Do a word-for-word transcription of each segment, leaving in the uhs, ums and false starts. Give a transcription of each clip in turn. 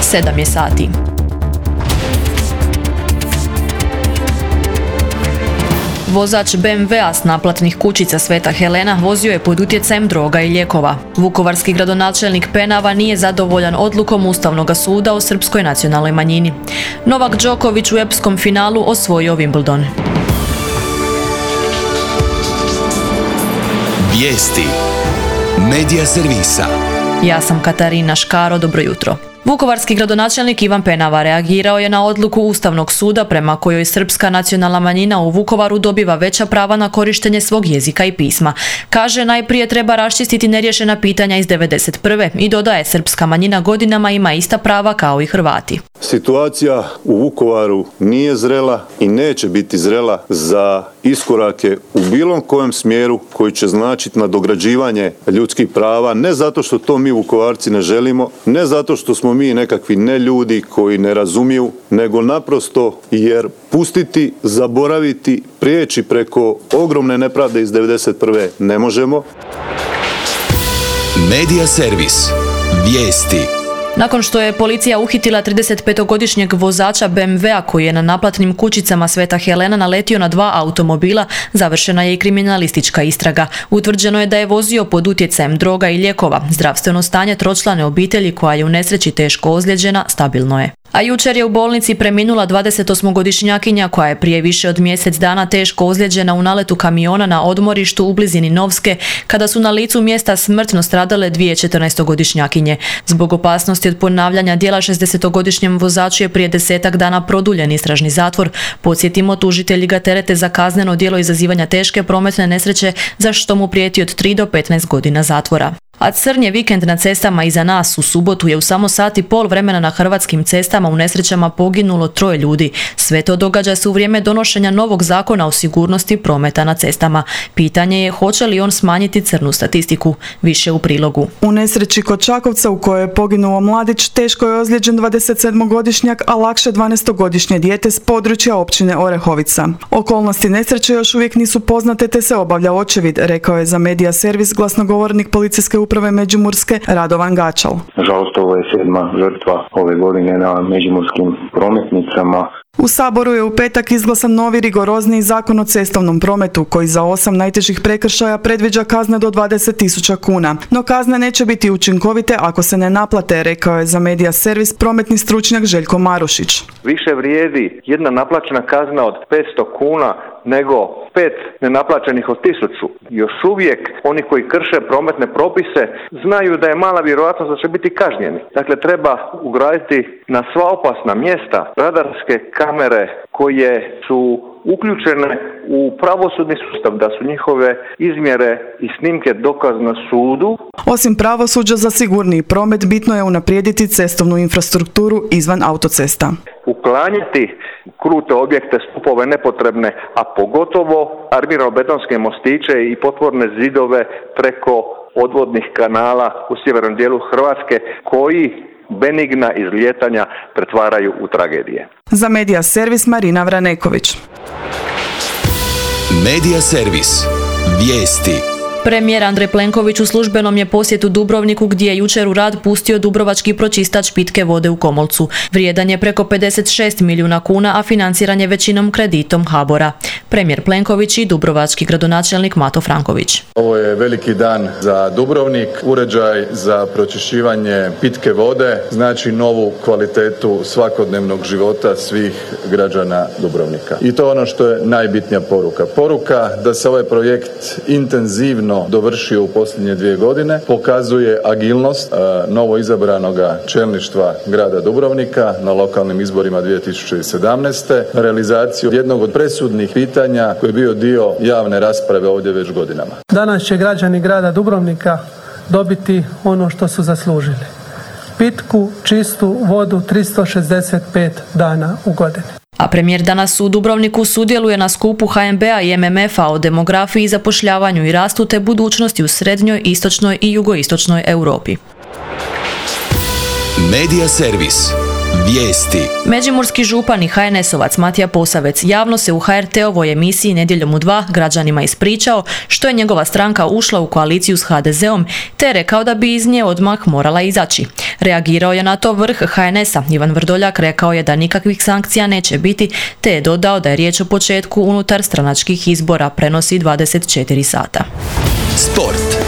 sedam je sati. Vozač be em vea s naplatnih kućica Sveta Helena vozio je pod utjecajem droga i lijekova. Vukovarski gradonačelnik Penava nije zadovoljan odlukom Ustavnog suda o srpskoj nacionalnoj manjini. Novak Đoković u epskom finalu osvojio Wimbledon. Vijesti Medija servisa. Ja sam Katarina Škaro, dobro jutro. Vukovarski gradonačelnik Ivan Penava reagirao je na odluku Ustavnog suda prema kojoj srpska nacionalna manjina u Vukovaru dobiva veća prava na korištenje svog jezika i pisma. Kaže, najprije treba raščistiti neriješena pitanja iz devedeset prve i dodaje, srpska manjina godinama ima ista prava kao i Hrvati. Situacija u Vukovaru nije zrela i neće biti zrela za iskorake u bilo kojem smjeru koji će značiti nadograđivanje ljudskih prava, ne zato što to mi Vukovarci ne želimo, ne zato što smo mi nekakvi neljudi koji ne razumiju, nego naprosto jer pustiti, zaboraviti, prijeći preko ogromne nepravde iz devedeset prve ne možemo. Medija servis. Vijesti. Nakon što je policija uhitila tridesetpetogodišnjeg vozača be em vea koji je na naplatnim kućicama Sveta Helena naletio na dva automobila, završena je i kriminalistička istraga. Utvrđeno je da je vozio pod utjecajem droga i lijekova. Zdravstveno stanje tročlane obitelji koja je u nesreći teško ozlijeđena stabilno je. A jučer je u bolnici preminula dvadesetosmogodišnjakinja koja je prije više od mjesec dana teško ozlijeđena u naletu kamiona na odmorištu u blizini Novske, kada su na licu mjesta smrtno stradale dvije četrnaestogodišnjakinje. Zbog opasnosti od ponavljanja djela šezdesetogodišnjem vozaču je prije desetak dana produljen istražni zatvor. Podsjetimo, tužitelji ga terete za kazneno djelo izazivanja teške prometne nesreće, za što mu prijeti od tri do petnaest godina zatvora. A crn je vikend na cestama iza nas. U subotu je u samo sat i pol vremena na hrvatskim cestama u nesrećama poginulo troje ljudi. Sve to događa se u vrijeme donošenja novog zakona o sigurnosti prometa na cestama. Pitanje je hoće li on smanjiti crnu statistiku. Više u prilogu. U nesreći kod Čakovca u kojoj je poginuo mladić teško je ozlijeđen dvadesetsedmogodišnjak, a lakše dvanaestogodišnje dijete s područja općine Orehovica. Okolnosti nesreće još uvijek nisu poznate te se obavlja očevid, rekao je za Medija servis glasnogovornik policijske uprave Međimurske Radovan Gačal. Nažalost, ovo je sedma žrtva ove godine na međimurskim prometnicama. U Saboru je u petak izglasan novi rigorozniji zakon o cestovnom prometu koji za osam najtežih prekršaja predviđa kazne do dvadeset tisuća kuna. No kazne neće biti učinkovite ako se ne naplate, rekao je za Medija servis prometni stručnjak Željko Marušić. Više vrijedi jedna naplaćena kazna od petsto kuna nego pet nenaplaćenih od tisuću. Još uvijek oni koji krše prometne propise znaju da je mala vjerojatnost da će biti kažnjeni. Dakle, treba ugraditi na sva opasna mjesta radarske kamere koje su uključene u pravosudni sustav, da su njihove izmjere i snimke dokaz na sudu. Osim pravosuđa za sigurniji promet, bitno je unaprijediti cestovnu infrastrukturu izvan autocesta. Uklanjati krute objekte, stupove nepotrebne, a pogotovo armirano-betonske mostiće i potvorne zidove preko odvodnih kanala u sjevernom dijelu Hrvatske koji benigna izlijetanja pretvaraju u tragedije. Za Medija servis Marina Vraneković. Medija servis. Vijesti. Premijer Andrej Plenković u službenom je posjetu Dubrovniku gdje je jučer u rad pustio dubrovački pročistač pitke vode u Komolcu. Vrijedan je preko pedeset šest milijuna kuna, a financiran je većinom kreditom HABOR-a. Premijer Plenković i dubrovački gradonačelnik Mato Franković. Ovo je veliki dan za Dubrovnik. Uređaj za pročišćivanje pitke vode znači novu kvalitetu svakodnevnog života svih građana Dubrovnika. I to je ono što je najbitnija poruka. Poruka da se ovaj projekt intenzivno dovršio u posljednje dvije godine, pokazuje agilnost novo izabranoga čelništva grada Dubrovnika na lokalnim izborima dvije tisuće sedamnaeste. Realizaciju jednog od presudnih pitanja koji je bio dio javne rasprave ovdje već godinama. Danas će građani grada Dubrovnika dobiti ono što su zaslužili. Pitku, čistu vodu tristo šezdeset pet dana u godini. A premijer danas u Dubrovniku sudjeluje na skupu ha em be a i em em efa o demografiji, zapošljavanju i rastu te budućnosti u srednjoj, istočnoj i jugoistočnoj Europi. Medija servis. Vijesti. Međimurski župan i ha en esovac Matija Posavec javno se u ha er te-ovoj emisiji Nedjeljom u dva građanima ispričao što je njegova stranka ušla u koaliciju s ha de zeom, te rekao da bi iz nje odmah morala izaći. Reagirao je na to vrh ha en esa. Ivan Vrdoljak rekao je da nikakvih sankcija neće biti, te je dodao da je riječ o početku unutar stranačkih izbora, prenosi dvadeset četiri sata. Sport.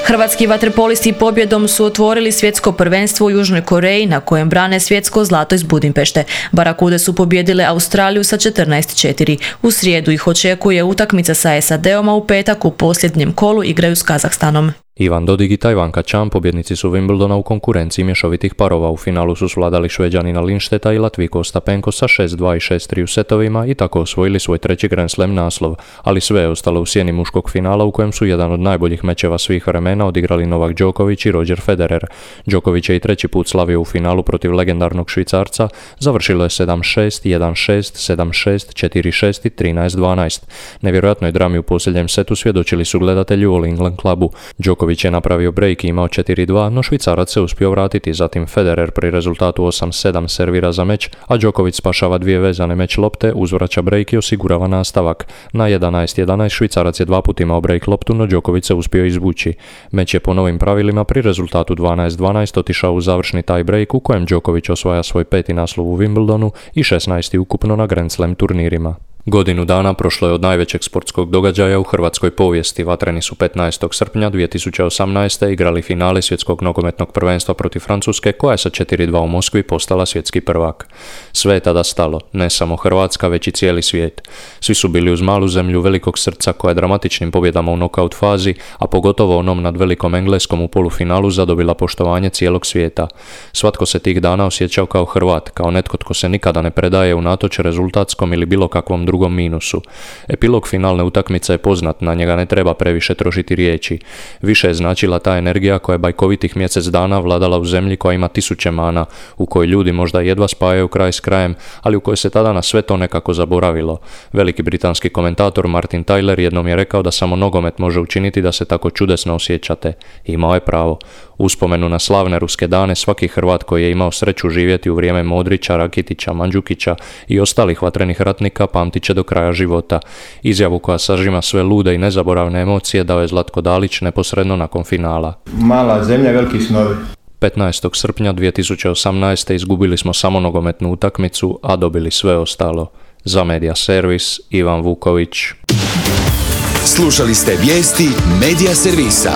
Hrvatski vaterpolisti pobjedom su otvorili svjetsko prvenstvo u Južnoj Koreji na kojem brane svjetsko zlato iz Budimpešte. Barakude su pobijedile Australiju sa četrnaest četiri. U srijedu ih očekuje utakmica sa es a de om, a u petak u posljednjem kolu igraju s Kazahstanom. Ivan Dodig i Tajvanka Čan, pobjednici su Wimbledona u konkurenciji mješovitih parova. U finalu su svladali Šveđanina Lindstedta i Latvijko Ostapenko sa šest dva i šest tri u setovima i tako osvojili svoj treći Grand Slam naslov, ali sve je ostalo u sjeni muškog finala u kojem su jedan od najboljih mečeva svih vremena odigrali Novak Đoković i Roger Federer. Đoković je i treći put slavio u finalu protiv legendarnog Švicarca, završilo je sedam šest, jedan šest, sedam šest, četiri šest i trinaest dvanaest. Nevjerojatnoj drami u posljednjem setu svjedočili su gledatelji u All England klubu. Đoković je napravio break i imao četiri dva, no Švicarac se uspio vratiti, zatim Federer pri rezultatu osam sedam servira za meč, a Đoković spašava dvije vezane meč lopte, uzvraća break i osigurava nastavak. Na jedanaest jedanaest Švicarac je dva put imao break loptu, no Đoković se uspio izvući. Meč je po novim pravilima pri rezultatu dvanaest dvanaest otišao u završni tie break u kojem Đoković osvaja svoj peti naslov u Wimbledonu i šesnaesti ukupno na Grand Slam turnirima. Godinu dana prošlo je od najvećeg sportskog događaja u hrvatskoj povijesti. Vatreni su petnaestog srpnja dvije tisuće osamnaeste. igrali finale svjetskog nogometnog prvenstva protiv Francuske, koja je sa četiri dva u Moskvi postala svjetski prvak. Sve je tada stalo, ne samo Hrvatska, već i cijeli svijet. Svi su bili uz malu zemlju velikog srca koja je dramatičnim pobjedama u nokaut fazi, a pogotovo onom nad velikom Engleskom u polufinalu, zadobila poštovanje cijelog svijeta. Svatko se tih dana osjećao kao Hrvat, kao netko tko se nikada ne predaje unatoč rezultatskom ili bilo kakvom drugom drugom minusu. Epilog finalne utakmice je poznat, na njega ne treba previše trošiti riječi. Više je značila ta energija koja je bajkovitih mjesec dana vladala u zemlji koja ima tisuće mana, u kojoj ljudi možda jedva spajaju kraj s krajem, ali u kojoj se tada na sve to nekako zaboravilo. Veliki britanski komentator Martin Tyler jednom je rekao da samo nogomet može učiniti da se tako čudesno osjećate. Imao je pravo. Uspomenu na slavne ruske dane svaki Hrvat koji je imao sreću živjeti u vrijeme Modrića, Rakitića, Mandžukića i ostalih vatrenih ratnika pamtit će do kraja života. Izjavu koja sažima sve lude i nezaboravne emocije dao je Zlatko Dalić neposredno nakon finala. Mala zemlja, veliki snovi. petnaestog srpnja dvije tisuće osamnaeste. izgubili smo samo nogometnu utakmicu, a dobili sve ostalo. Za Media Servis, Ivan Vuković. Slušali ste vijesti Media Servisa.